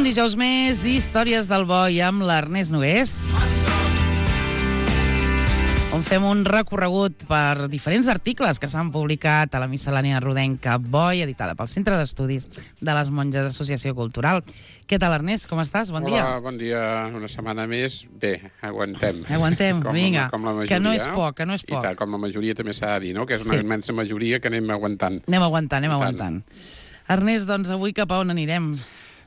Un dijous més, Històries del Boi amb l'Ernest Nogués, on fem un recorregut per diferents articles que s'han publicat a la miscel·lània rodenca Boi, editada pel Centre d'Estudis de les Monges Associació Cultural. Què tal, Ernest? Com estàs? Bon dia. Hola, bon dia. Una setmana més. Bé, aguantem. Aguantem, vinga. Com la majoria. Que no és poc, que no és poc. I tal, com la majoria també s'ha de dir, no? Que és una immensa majoria que anem aguantant. Anem aguantant. Ernest, doncs avui cap a on anirem?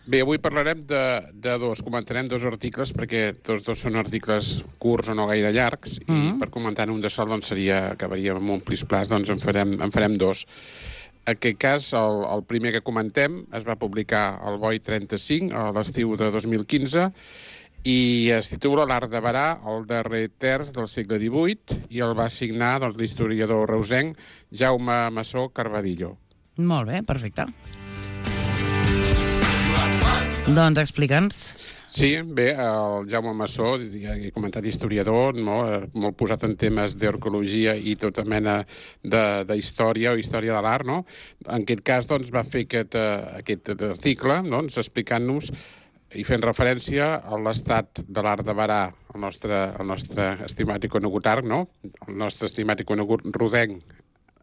Bé, avui parlarem de dos. Comentarem dos articles, perquè tots dos són articles curts o no gaire llargs, i per comentar un de sol doncs acabaríem amb un plis-plas, doncs en farem dos. En aquest cas, el primer que comentem es va publicar al Boi 35 a l'estiu de 2015 i es titula L'art de varar, el darrer terç del segle XVIII, i el va signar doncs, l'historiador reusenc Jaume Massó Carvadillo. Molt bé, perfecte. Doncs explica'ns. Sí, bé, el Jaume Massó, ja he comentat historiador, no? Molt posat en temes d'arqueologia i tota mena d'història o història de l'art, no? En aquest cas, doncs, va fer aquest article, doncs, explicant-nos i fent referència a l'estat de l'art de varar, el nostre estimat i conegut art, no? El nostre estimat i conegut rodenc,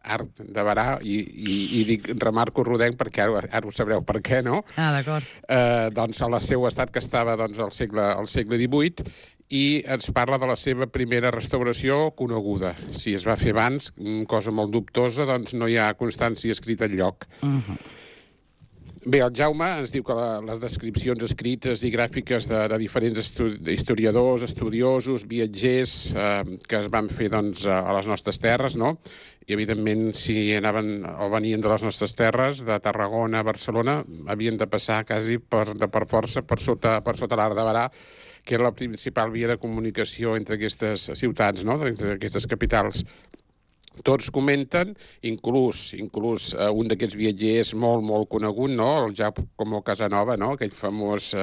art de varar, i remarco rodenc perquè ara ho sabreu per què, no? Ah, d'acord. Doncs al seu estat que estava doncs, al segle XVIII, i ens parla de la seva primera restauració coneguda. Si es va fer abans, cosa molt dubtosa, doncs no hi ha constància escrita enlloc. Bé, el Jaume ens diu que les descripcions escrites i gràfiques de diferents historiadors, estudiosos, viatgers que es van fer doncs, a les nostres terres, no? I, evidentment, si anaven o venien de les nostres terres, de Tarragona a Barcelona, havien de passar quasi per força per sota l'art de varar, que era la principal via de comunicació entre aquestes ciutats, no? Entre aquestes capitals. Tots comenten, inclús un d'aquests viatgers molt conegut, no? El Giacomo Casanova, no? Aquell famós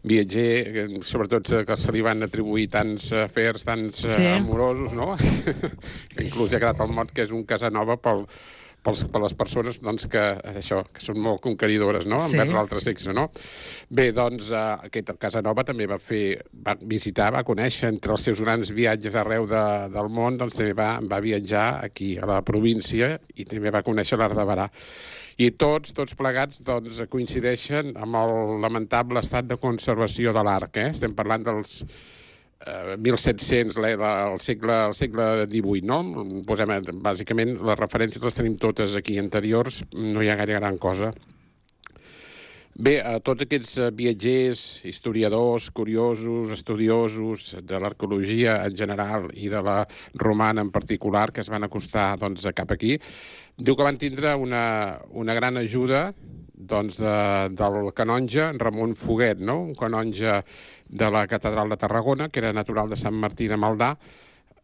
viatger, sobretot que se li van atribuir tants afers, tants amorosos, no? Inclús ja ha quedat el mot que és un Casanova per les persones doncs, que són molt conqueridores, no? Envers l'altre sexe, no? Bé, doncs, aquest Casanova també va visitar, va conèixer entre els seus grans viatges arreu del món, doncs també va viatjar aquí, a la província, i també va conèixer l'art de varar. I tots plegats doncs, coincideixen amb el lamentable estat de conservació de l'art, Estem parlant dels 1700, el segle XVIII, no? Posem, bàsicament, les referències les tenim totes aquí anteriors, no hi ha gaire gran cosa. Bé, tots aquests viatgers, historiadors, curiosos, estudiosos de l'arqueologia en general i de la romana en particular, que es van acostar doncs, cap aquí, diu que van tindre una gran ajuda doncs, del canonge Ramon Foguet, no? Un canonge de la catedral de Tarragona, que era natural de Sant Martí de Maldà,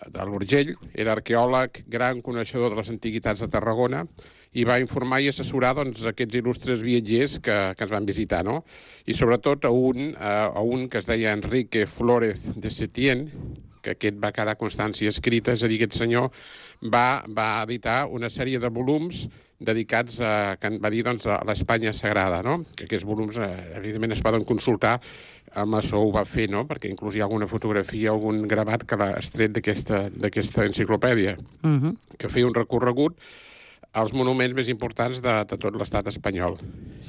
de l'Urgell, era arqueòleg, gran coneixedor de les antiguitats de Tarragona, i va informar i assessorar doncs, aquests il·lustres viatgers que ens van visitar, no? I sobretot a un que es deia Enrique Flórez de Setién, que aquest va quedar constància escrita, és a dir, aquest senyor va editar una sèrie de volums dedicats que va dir, doncs, a l'Espanya Sagrada, no? Que aquests volums, evidentment, es poden consultar. El Massó ho va fer, no? Perquè inclús hi ha alguna fotografia, algun gravat que l'ha extret d'aquesta enciclopèdia, que feia un recorregut als monuments més importants de tot l'estat espanyol.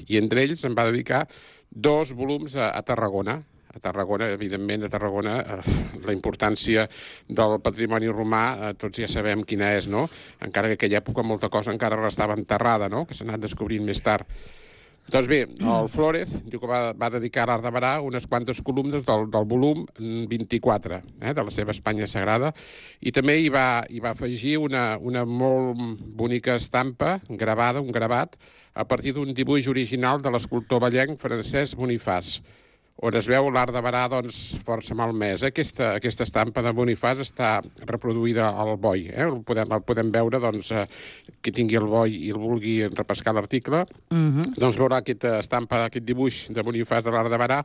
I entre ells en va dedicar 2 volums a Tarragona. A Tarragona, evidentment, la importància del patrimoni romà, tots ja sabem quina és, no? Encara que en aquella època molta cosa encara restava enterrada, no? Que s'ha anat descobrint més tard. Doncs bé, el Flórez diu que va dedicar a l'art de varar unes quantes columnes del volum 24 de la seva Espanya Sagrada, i també hi va afegir una molt bonica estampa gravada, un gravat, a partir d'un dibuix original de l'escultor vallenc Francesc Bonifàs, on es veu l'art de varar doncs, força malmès. Aquesta estampa de Bonifàs està reproduïda al Boi. El podem veure, doncs, qui tingui el Boi i el vulgui repescar l'article, doncs veurà aquesta estampa, aquest dibuix de Bonifàs de l'art de varar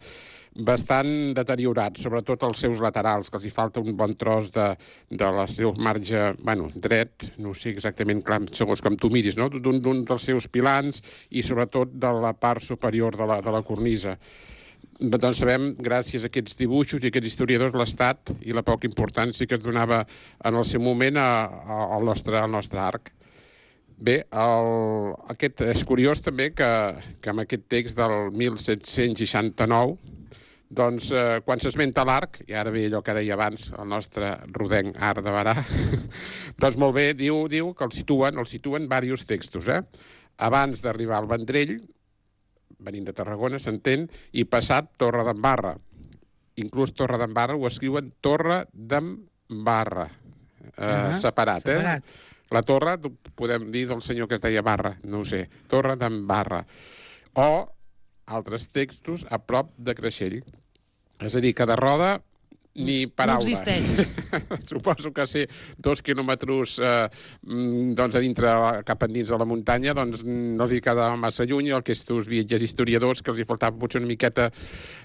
bastant deteriorat, sobretot els seus laterals, que els hi falta un bon tros del seu marge, dret, no sé exactament clar, segons com tu miris, no? D'un dels seus pilans i sobretot de la part superior de la cornisa. Doncs sabem, gràcies a aquests dibuixos i aquests historiadors, l'estat i la poca importància que es donava en el seu moment al nostre arc. Bé, aquest és curiós també que amb aquest text del 1769, doncs, quan s'esmenta l'arc, i ara ve allò que deia abans el nostre rodenc Arc de Berà, doncs molt bé, diu que el situen diversos textos, abans d'arribar al Vendrell, venint de Tarragona, s'entén, i passat Torre d'en Barra. Inclús Torre d'en Barra ho escriuen Torre d'en Barra, separat. La torre, podem dir del senyor que es deia Barra, no ho sé, Torre d'en Barra. O altres textos a prop de Creixell. És a dir, que de Roda ni paraula. No existeix. Suposo que ser 2 quilòmetres doncs a dintre, cap endins de la muntanya, doncs no els hi quedava massa lluny, el que estos viatgers historiadors, que els hi faltava potser una miqueta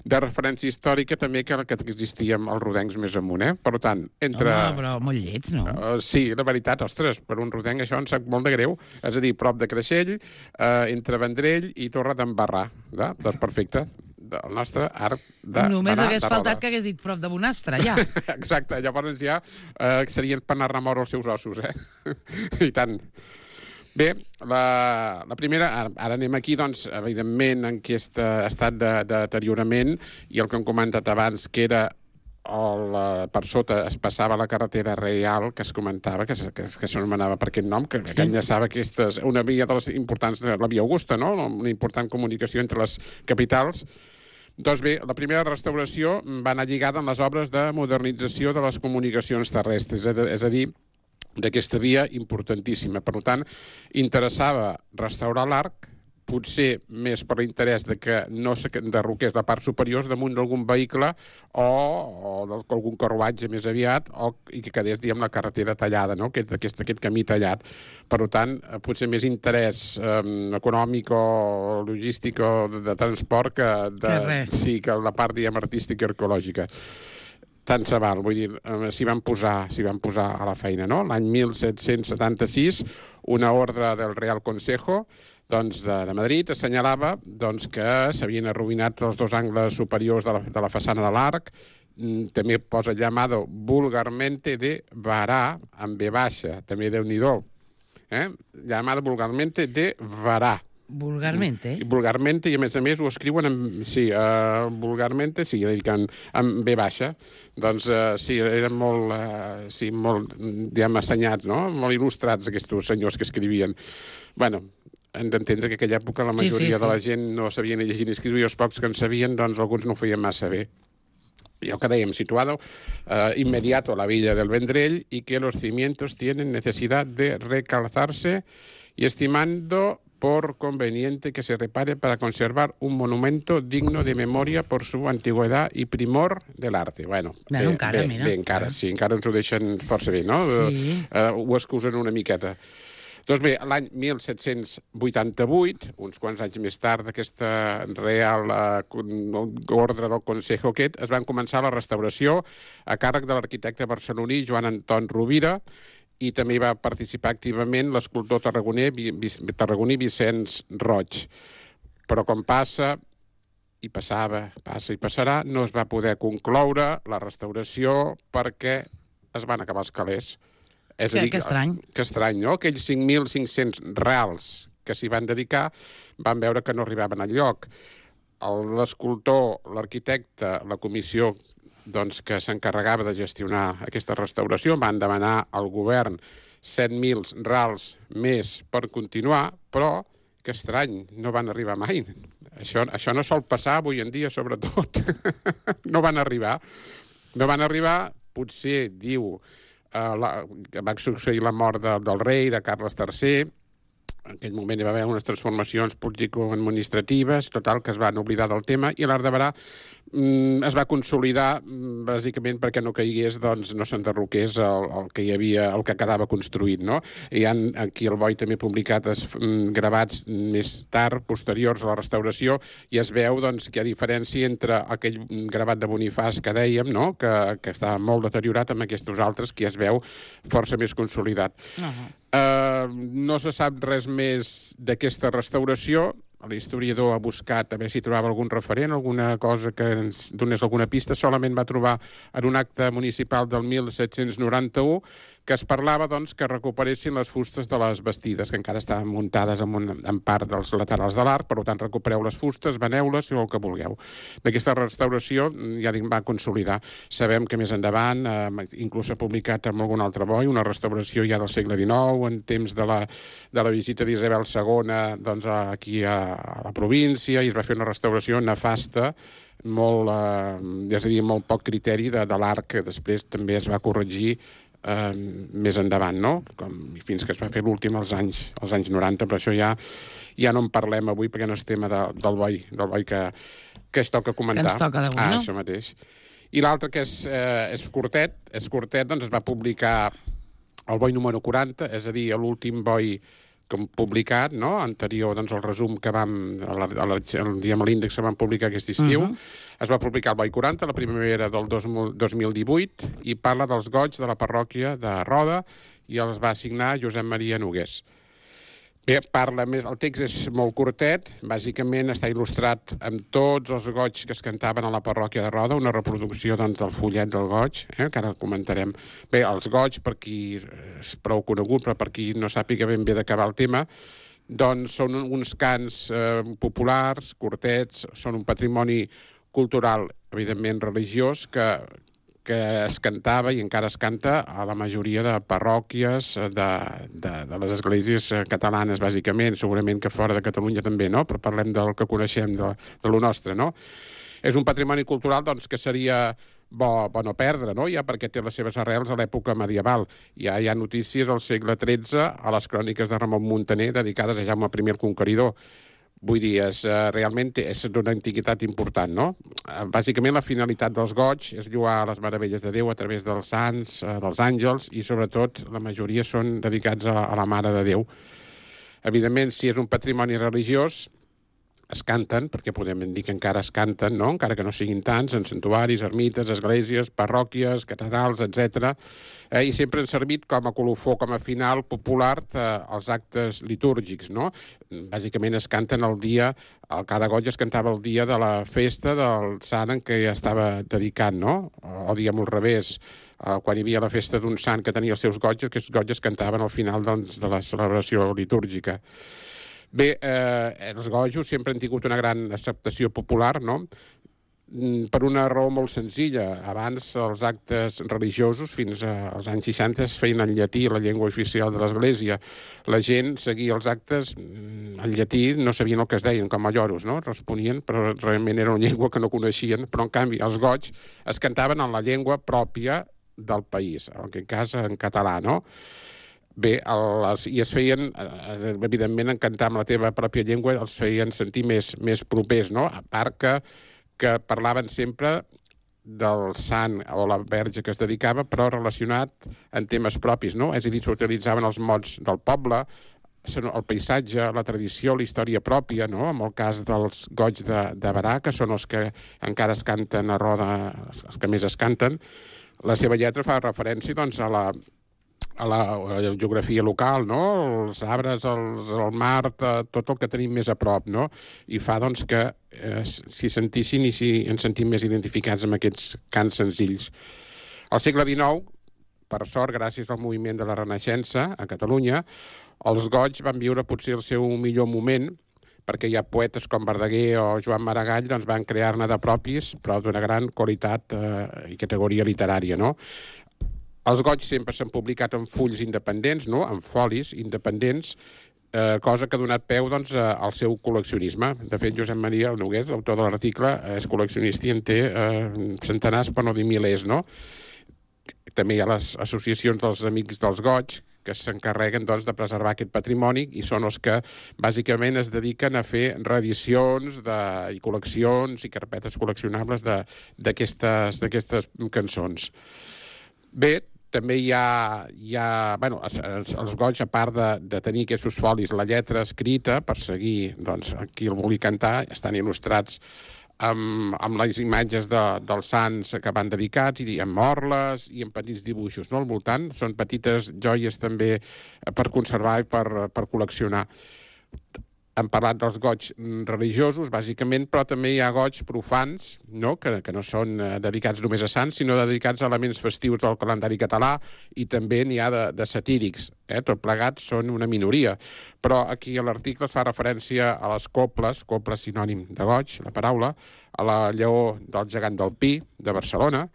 de referència històrica, també que existíem els rodencs més amunt, Per tant, entre... Home, però molt lleig, no? Sí, la veritat, ostres, per un rodenc això em sap molt de greu. És a dir, prop de Creixell, entre Vendrell i Torre d'en Barra. Doncs perfecte. El nostre arc de només hagués faltat que hagués dit prop de Bonastre, ja. Exacte, llavors ja serien per anar a remor els seus ossos, I tant. Bé, la primera, ara anem aquí, doncs, evidentment, en aquest estat de deteriorament, i el que hem comentat abans, que era per sota es passava la carretera reial, que es comentava, que s'anomenava per aquest nom, que enllaçava una via de les importants, la via Augusta, no? Una important comunicació entre les capitals. Doncs bé, la primera restauració va anar lligada amb les obres de modernització de les comunicacions terrestres, és a dir, d'aquesta via importantíssima. Per tant, interessava restaurar l'arc, potser més per l'interès de que no s'enderroqués la part superior damunt d'algun vehicle o d'algun carruatge més aviat i que quedés, diguem, la carretera tallada, no? Aquest camí tallat. Per tant, potser més interès econòmic o logístic o de transport que la part, diguem, artística i arqueològica. Tant se val, vull dir, s'hi van posar a la feina, no? L'any 1776, una ordre del Real Consejo de Madrid assenyalava que s'havien arruïnat els 2 angles superiors de la façana de l'arc. També posa llamado vulgarmente de Varà, amb V baixa, també Déu-n'hi-do. Llamado vulgarmente de Varà. Vulgarmente? Vulgarmente, i a més ho escriuen vulgarmente, sí, amb V baixa. Doncs sí, eren molt, diguem, assenyats, no? Molt il·lustrats aquests senyors que escrivien. Bueno, hem d'entendre que en aquella època la majoria de la gent no sabia ni llegir ni escriure, i els pocs que en sabien, doncs alguns no ho feien massa bé. Y el que dèiem, situado inmediato a la villa del Vendrell, y que los cimientos tienen necesidad de recalzarse, y estimando por conveniente que se repare para conservar un monumento digno de memoria por su antigüedad y primor del arte. Bueno, encara, mira. Bé, encara, sí, encara ens ho deixen força bé, no? Sí. Ho excusen una miqueta. Doncs bé, l'any 1788, uns quants anys més tard d'aquesta real ordre del Consejo aquest, es van començar la restauració a càrrec de l'arquitecte barceloní Joan Anton Rovira, i també hi va participar activament l'escultor tarragoní Vicenç Roig. Però com passa i passarà, no es va poder concloure la restauració perquè es van acabar els calés. És a dir, que estrany. Que estrany, no? Aquells 5.500 reals que s'hi van dedicar van veure que no arribaven al lloc. L'escultor, l'arquitecte, la comissió que s'encarregava de gestionar aquesta restauració van demanar al govern 7.000 reals més per continuar, però, que estrany, no van arribar mai. Això no sol passar avui en dia, sobretot. No van arribar. No van arribar, potser, diu, va succeir la mort del rei, de Carles III. En aquell moment hi va haver unes transformacions político-administratives, total, que es van oblidar del tema, i l'Arc de Berà es va consolidar bàsicament perquè no caigués, doncs no s'enderroqués el que hi havia, el que quedava construït, no? Hi ha aquí al Boi també publicat gravats més tard, posteriors a la restauració, i es veu doncs que hi ha diferència entre aquell gravat de Bonifàs que dèiem, no? Que estava molt deteriorat, amb aquests altres que ja es veu força més consolidat. No se sap res més d'aquesta restauració. l'historiador ha buscat a veure si trobava algun referent, alguna cosa que ens donés alguna pista, solament va trobar en un acte municipal del 1791 que es parlava doncs, que recuperessin les fustes de les bastides, que encara estaven muntades en part dels laterals de l'arc, per tant recupereu les fustes, veneu-les i el que vulgueu. D'aquesta restauració, ja dic, va consolidar. Sabem que més endavant, inclús s'ha publicat amb algun altre boi, una restauració ja del segle XIX, en temps de la visita d'Isabel II doncs, aquí a la província, i es va fer una restauració nefasta, molt, és a dir, molt poc criteri de l'arc, que després també es va corregir més endavant, no? Fins que es va fer l'últim als anys 90, però això ja no en parlem avui perquè no és tema del boi que es toca comentar. Que ens toca d'avui, no? Això mateix. I l'altre, que és curtet, doncs es va publicar el boi número 40, és a dir, l'últim boi que hem publicat, no? Anterior, doncs, el resum que vam, diguem, l'índex que vam publicar aquest estiu. Es va publicar el boi 40, la primavera del 2018, i parla dels goigs de la parròquia de Roda, i els va assignar Josep Maria Nogués. Bé, parla més, el text és molt curtet, bàsicament està il·lustrat amb tots els goigs que es cantaven a la parròquia de Roda, una reproducció doncs, del fullet del goig, que ara comentarem. Bé, els goigs, per qui és prou conegut, però per qui no sàpiga ben bé d'acabar el tema, doncs són uns cants populars, curtets, són un patrimoni cultural, evidentment religiós, que es cantava i encara es canta a la majoria de parròquies de les esglésies catalanes, bàsicament, segurament que fora de Catalunya també, no? Però parlem del que coneixem, de lo nostre, no? És un patrimoni cultural doncs, que seria bo no perdre, no? Ja perquè té les seves arrels a l'època medieval. Ja hi ha notícies al segle XIII a les cròniques de Ramon Muntaner dedicades a Jaume I el Conqueridor. Vull dir, realment és d'una antiguitat important, no? Bàsicament, la finalitat dels goigs és lloar les meravelles de Déu a través dels sants, dels àngels, i sobretot la majoria són dedicats a la Mare de Déu. Evidentment, si és un patrimoni religiós, es canten, perquè podem dir que encara es canten, no? Encara que no siguin tants, en santuaris, ermites, esglésies, parròquies, catedrals, etc. I sempre han servit com a colofó, com a final popular als actes litúrgics, no? Bàsicament es canten el dia, cada goig es cantava el dia de la festa del sant en què ja estava dedicat, no? O diguem al revés, quan hi havia la festa d'un sant que tenia els seus goigs, aquests goigs es cantaven al final doncs, de la celebració litúrgica. Bé, els gojos sempre han tingut una gran acceptació popular, no? Per una raó molt senzilla. Abans els actes religiosos, fins als anys 60, es feien en llatí, la llengua oficial de l'Església. La gent seguia els actes en llatí, no sabien el que es deien, com a lloros, no? Responien, però realment era una llengua que no coneixien, però en canvi els goigs es cantaven en la llengua pròpia del país, en aquest cas en català, no? Bé, i es feien, evidentment, en cantar amb la teva pròpia llengua els feien sentir més propers, no? A part que parlaven sempre del sant o la verge que es dedicava, però relacionat en temes propis, no? És a dir, s'utilitzaven els mots del poble, el paisatge, la tradició, la història pròpia, no? En el cas dels goigs de Berà, que són els que encara es canten a Roda, els que més es canten, la seva lletra fa referència, doncs, a la geografia local, no? Els arbres, el mar, tot el que tenim més a prop, no? I fa, doncs, que s'hi sentissin i s'hi ens sentim més identificats amb aquests cants senzills. Al segle XIX, per sort, gràcies al moviment de la Renaixença a Catalunya, els goigs van viure potser el seu millor moment, perquè hi ha poetes com Verdaguer o Joan Maragall doncs van crear-ne de propis, però d'una gran qualitat i categoria literària, no? Els goigs sempre s'han publicat en fulls independents, no? En folis independents, cosa que ha donat peu doncs, al seu col·leccionisme. De fet, Josep Maria Nogués, l'autor de l'article, és col·leccionista i en té centenars, per no dir milers, no? També hi ha les associacions dels Amics dels Goigs, que s'encarreguen doncs, de preservar aquest patrimoni i són els que bàsicament es dediquen a fer reedicions i col·leccions i carpetes col·leccionables d'aquestes cançons. Bé, també hi ha bueno, els goigs, a part de tenir aquests folis, la lletra escrita, per seguir doncs, qui el vulgui cantar, estan il·lustrats amb les imatges dels sants que van dedicats, i amb orles i amb petits dibuixos, no? Al voltant són petites joies també per conservar i per col·leccionar. hem parlat dels goigs religiosos, bàsicament, però també hi ha goigs profans, no? Que no són dedicats només a sants, sinó dedicats a elements festius del calendari català, i també n'hi ha de satírics. Tot plegat són una minoria. Però aquí a l'article es fa referència a les coples sinònim de goig, la paraula, a la Lleó del gegant del Pi, de Barcelona,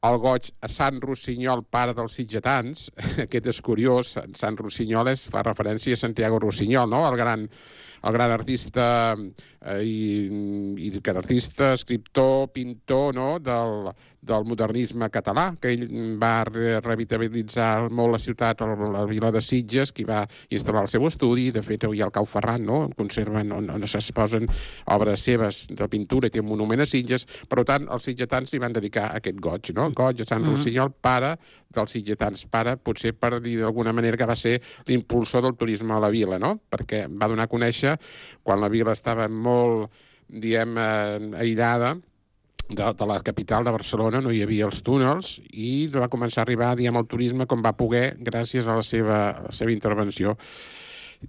el goig a Sant Rossinyol, pare dels sitgetans. Aquest és curiós, Sant Rossinyol fa referència a Santiago Rossinyol, no? El gran artista artista, escriptor, pintor, no? del modernisme català, que ell va revitalitzar molt la ciutat, la vila de Sitges, que va instal·lar el seu estudi. De fet, avui al Cau Ferran, no? Conserven on s'exposen obres seves de pintura, i té un monument a Sitges. Per tant, els sitgetans s'hi van dedicar a aquest goig, no? Goig a Sant Rossinyol, pare dels sitgetans. Pare, potser per dir d'alguna manera que va ser l'impulsor del turisme a la vila, no? Perquè va donar a conèixer, quan la vila estava molt, aïllada de la capital de Barcelona, no hi havia els túnels, i va començar a arribar, el turisme com va poder, gràcies a la seva intervenció.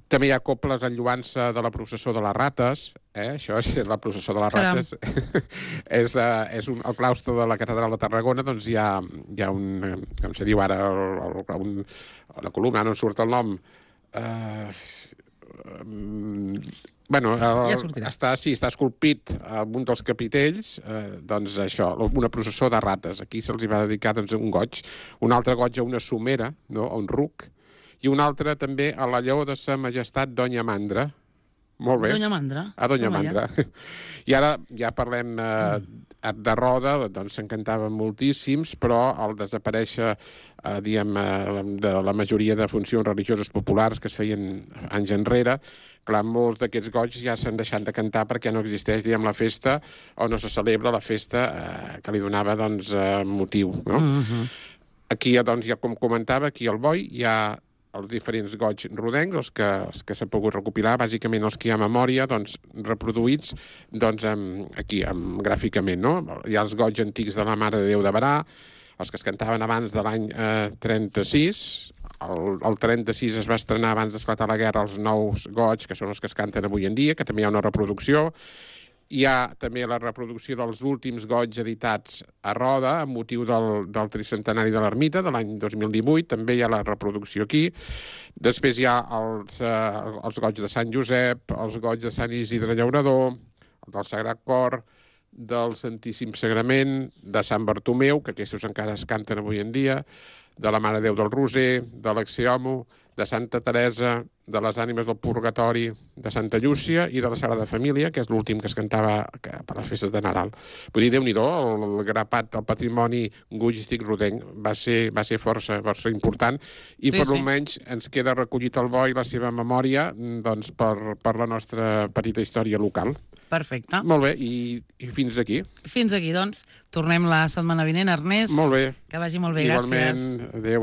També hi ha coples en lloança de la processó de les rates. Això és la processó de les rates. És el claustre de la catedral de Tarragona. Doncs hi ha un, com se diu ara, la columna, no en surt el nom. Està esculpit en un dels capitells, doncs això, una processó de rates. Aquí se'ls va dedicar un goig, un altre goig a una somera, no? A un ruc, i un altre també a la Lleó de Sa Majestat Doña Mandra. Molt bé. Doña Mandra. A Doña Mandra. I ara ja parlem de Roda, doncs s'encantaven moltíssims, però al desaparèixer, de la majoria de funcions religioses populars que es feien anys enrere, clar, molts d'aquests goigs ja s'han deixat de cantar perquè no existeix, la festa, o no se celebra la festa que li donava, motiu, no? Aquí, doncs, ja com comentava, aquí al Boi hi ha els diferents goigs rodencs, els que s'ha pogut recopilar, bàsicament els que hi ha a memòria, reproduïts aquí, gràficament, no? Hi ha els goigs antics de la Mare de Déu de Berà, els que es cantaven abans de l'any 36. El 36 es va estrenar, abans d'esclatar la guerra, els nous goigs, que són els que es canten avui en dia, que també hi ha una reproducció. Hi ha també la reproducció dels últims goigs editats a Roda, amb motiu del tricentenari de l'Ermita, de l'any 2018. També hi ha la reproducció aquí. Després hi ha els goigs de Sant Josep, els goigs de Sant Isidre Llaurador, el del Sagrat Cor, del Santíssim Sagrament, de Sant Bartomeu, que aquests encara es canten avui en dia, de la Mare de Déu del Roser, de l'Axiomo, de Santa Teresa, de les Ànimes del Purgatori, de Santa Llúcia i de la Sagrada Família, que és l'últim que es cantava per les festes de Nadal. Vull dir, Déu-n'hi-do, el grapat del patrimoni goigístic rodenc va ser força important, i per almenys ens queda recollit al Boi la seva memòria, per la nostra petita història local. Perfecte. Molt bé, i fins aquí. Fins aquí, doncs. Tornem la setmana vinent, Ernest. Molt bé. Que vagi molt bé, gràcies. Igualment, adéu.